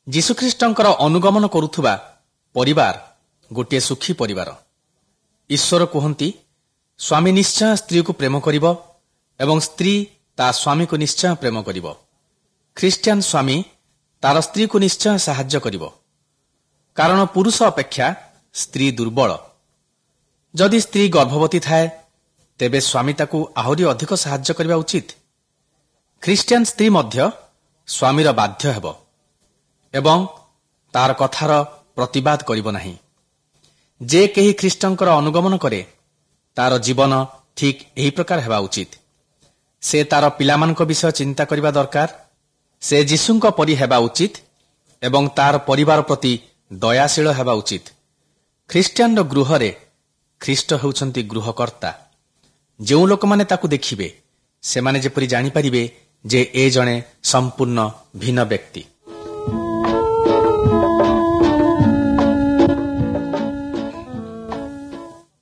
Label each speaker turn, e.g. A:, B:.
A: ଯୀଶୁଖ୍ରୀଷ୍ଟଙ୍କର ଅନୁଗମନ କରୁଥିବା ପରିବାର ଗୋଟିଏ ସୁଖୀ ପରିବାର। ଈଶ୍ୱର କୁହନ୍ତି, ସ୍ୱାମୀ ନିଶ୍ଚୟ ସ୍ତ୍ରୀକୁ ପ୍ରେମ କରିବ ଏବଂ ସ୍ତ୍ରୀ ତା ସ୍ୱାମୀକୁ ନିଶ୍ଚୟ ପ୍ରେମ କରିବ। ଖ୍ରୀଷ୍ଟିଆନ ସ୍ୱାମୀ ତାର ସ୍ତ୍ରୀକୁ ନିଶ୍ଚୟ ସାହାଯ୍ୟ କରିବ, କାରଣ ପୁରୁଷ ଅପେକ୍ଷା ସ୍ତ୍ରୀ ଦୁର୍ବଳ। ଯଦି ସ୍ତ୍ରୀ ଗର୍ଭବତୀ ଥାଏ, ତେବେ ସ୍ୱାମୀ ତାକୁ ଆହୁରି ଅଧିକ ସାହାଯ୍ୟ କରିବା ଉଚିତ। ଖ୍ରୀଷ୍ଟିଆନ ସ୍ତ୍ରୀ ମଧ୍ୟ ସ୍ୱାମୀର ବାଧ୍ୟ ହେବ ଏବଂ ତାର କଥାର ପ୍ରତିବାଦ କରିବ ନାହିଁ। ଯେ କେହି ଖ୍ରୀଷ୍ଟଙ୍କର ଅନୁଗମନ କରେ, ତାର ଜୀବନ ଠିକ୍ ଏହି ପ୍ରକାର ହେବା ଉଚିତ। ସେ ତାର ପିଲାମାନଙ୍କ ବିଷୟ ଚିନ୍ତା କରିବା ଦରକାର। ସେ ଯୀଶୁଙ୍କ ପରି ହେବା ଉଚିତ ଏବଂ ତାର ପରିବାର ପ୍ରତି ଦୟାଶୀଳ ହେବା ଉଚିତ। ଖ୍ରୀଷ୍ଟିଆନର ଗୃହରେ ଖ୍ରୀଷ୍ଟ ହେଉଛନ୍ତି ଗୃହକର୍ତ୍ତା। ଯେଉଁ ଲୋକମାନେ ତାକୁ ଦେଖିବେ, ସେମାନେ ଯେପରି ଜାଣିପାରିବେ ଯେ ଏ ଜଣେ ସମ୍ପୂର୍ଣ୍ଣ ଭିନ୍ନ ବ୍ୟକ୍ତି।